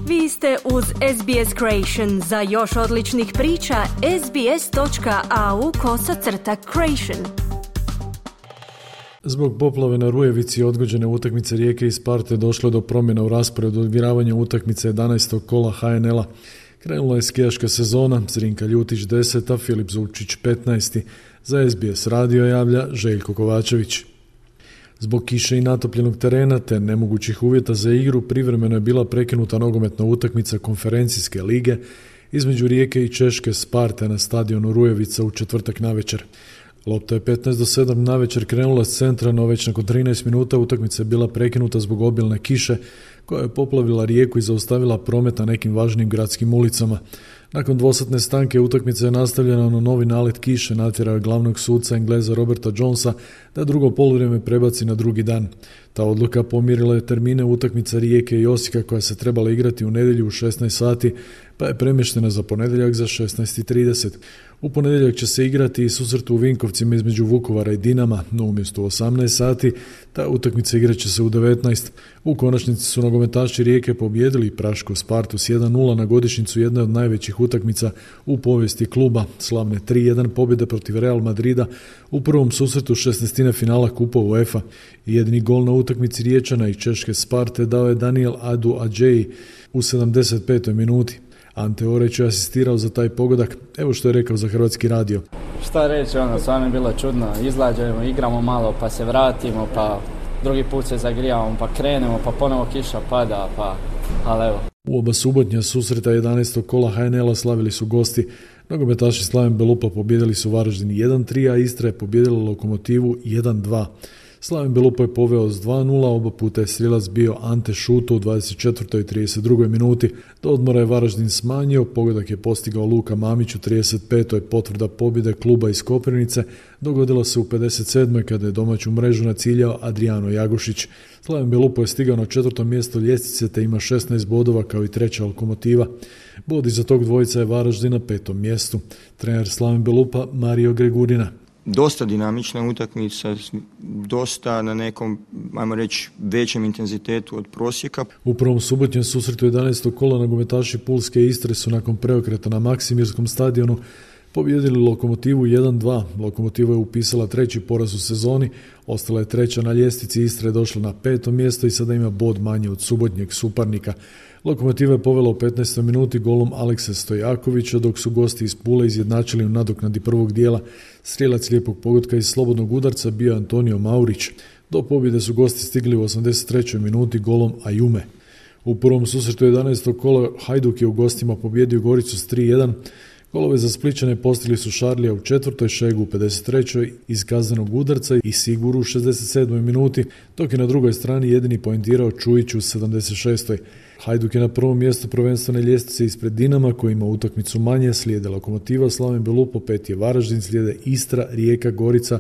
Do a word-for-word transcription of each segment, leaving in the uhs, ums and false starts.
Vi ste uz S B S Creation. Za još odličnih priča, sbs.au kosacrta creation. Zbog poplave na Rujevici i odgođene utakmice Rijeke i Sparte došlo je do promjena u rasporedu odigravanja utakmice jedanaestog kola H N L-a. Krenula je skijaška sezona, Zrinka Ljutić deseta, Filip Zupčić petnaesti. Za S B S radio javlja Željko Kovačević. Zbog kiše i natopljenog terena te nemogućih uvjeta za igru privremeno je bila prekinuta nogometna utakmica konferencijske lige između Rijeke i Češke Sparte na stadionu Rujevica u četvrtak navečer. Lopta je petnaest do sedam navečer krenula s centra, no već nakon trinaest minuta utakmica je bila prekinuta zbog obilne kiše koja je poplavila Rijeku i zaustavila promet na nekim važnim gradskim ulicama. Nakon dvosatne stanke utakmica je nastavljena, no novi nalet kiše natjerao je glavnog suca Engleza Roberta Jonesa da drugo poluvrijeme prebaci na drugi dan. Ta odluka pomirila je termine utakmica Rijeke i Osijeka koja se trebala igrati u nedjelju u šesnaest sati, pa je premještena za ponedjeljak za šesnaest i trideset. U ponedjeljak će se igrati i susret u Vinkovcima između Vukovara i Dinama, no umjesto u osamnaest sati, ta utakmica igrat će se u devetnaest. U konačnici su nogometaši Rijeke pobijedili Prašku Spartu s jedan nula na godišnjicu jedne od najvećih utakmica u povijesti kluba, slavne tri jedan pobjede protiv Real Madrida u prvom susretu šesnaestine finala Kupa UEFA. Jedini gol na utakmici Riječana i Češke Sparte dao je Daniel Adu Adjeji u sedamdeset petoj minuti. Ante Oreć je asistirao za taj pogodak, evo što je rekao za Hrvatski radio. Šta reći, ono, stvarno je bilo čudno, izlađemo, igramo malo, pa se vratimo, pa drugi put se zagrijavamo, pa krenemo, pa ponovo kiša pada, pa, ali evo. U oba subotnja susreta jedanaestog kola H N L-a slavili su gosti. Nogometaši Slaven Belupa pobijedili su Varaždin jedan tri, a Istra je pobijedila Lokomotivu jedan dva. Slaven Belupa je poveo s dva nula, oba puta je strijelac bio Ante Šuto u dvadeset četvrtoj i trideset drugoj minuti. Do odmora je Varaždin smanjio, pogodak je postigao Luka Mamić u trideset petoj. Potvrda pobjede kluba iz Koprivnice dogodila se u pedeset sedmoj kada je domaću mrežu naciljao Adriano Jagušić. Slaven Belupa je stigao na četvrto mjesto ljestvice te ima šesnaest bodova kao i treća Lokomotiva. Bod iza tog dvojica je Varaždin na petom mjestu. Trener Slaven Belupa Mario Gregurina. Dosta dinamična utakmica, dosta na nekom, ajmo reći, većem intenzitetu od prosjeka. U prvom subotnjem susretu jedanaestog kola nogometaši Pulske Istre su nakon preokreta na Maksimirskom stadionu pobijedili Lokomotivu jedan dva. Lokomotiva je upisala treći poraz u sezoni, ostala je treća na ljestvici, Istra je došla na peto mjesto i sada ima bod manje od subotnjeg suparnika. Lokomotiva je povela u petnaestoj minuti golom Aleksa Stojakovića, dok su gosti iz Pule izjednačili u nadoknadi prvog dijela. Strijelac lijepog pogotka iz slobodnog udarca bio Antonio Maurić. Do pobjede su gosti stigli u osamdeset trećoj minuti golom Ajume. U prvom susretu jedanaestog kola Hajduk je u gostima pobjedio Goricu s tri jedan. Golove za Splićane postigli su Šarlija u četvrtoj, Šegu u pedeset trećoj iz kaznenog udarca i Siguru u šezdeset sedmoj minuti, dok je na drugoj strani jedini poentirao Čujić u sedamdeset šestoj. Hajduk je na prvom mjestu prvenstvene ljestvice ispred Dinama koji ima utakmicu manje, slijede Lokomotiva, Slaven Belupa, pet je Varaždin, slijede Istra, Rijeka, Gorica,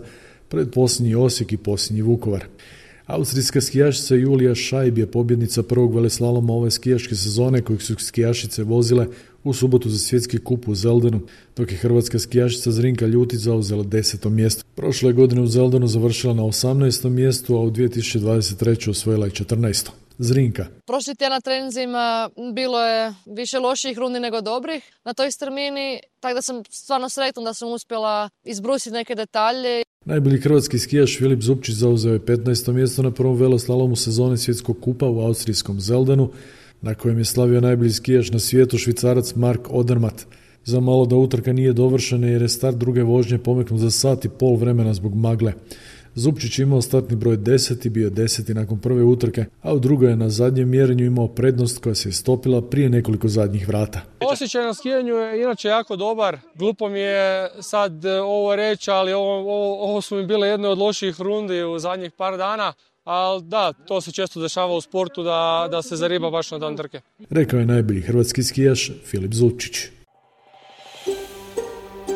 pred posljednji Osijek i posljednji Vukovar. Austrijska skijašica Julija Šajb je pobjednica prvog veleslaloma ove skijaške sezone kojeg su skijašice vozile u subotu za svjetski kup u Zeldenu, dok je hrvatska skijašica Zrinka Ljutić zauzela deseto mjesto. Prošle godine u Zeldenu završila na osamnaestom mjestu, a u dvije tisuće dvadeset trećoj osvojila je četrnaesto. Zrinka. Prošli tjedan na treninzima bilo je više loših rundi nego dobrih na toj strmini, tako da sam stvarno sretna da sam uspjela izbrusiti neke detalje. Najbolji hrvatski skijaš Filip Zupčić zauzeo je petnaesto mjesto na prvom veloslalomu sezone svjetskog kupa u austrijskom Zeldenu, na kojem je slavio najbolji skijaš na svijetu Švicarac Mark Odermatt. Za malo da utrka nije dovršena jer je start druge vožnje pomeknut za sat i pol vremena zbog magle. Zupčić imao startni broj deset i bio deseti nakon prve utrke, a u drugoj je na zadnjem mjerenju imao prednost koja se je stopila prije nekoliko zadnjih vrata. Osjećaj na skijanju je inače jako dobar. Glupo mi je sad ovo reći, ali ovo, ovo, ovo su mi bile jedne od loših rundi u zadnjih par dana. Ali da, to se često dešava u sportu da, da se zariba baš na dan trke. Rekao je najbolji hrvatski skijaš Filip Zupčić.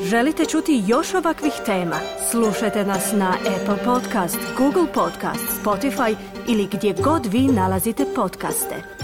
Želite čuti još ovakvih tema? Slušajte nas na Apple Podcast, Google Podcast, Spotify ili gdje god vi nalazite podcaste.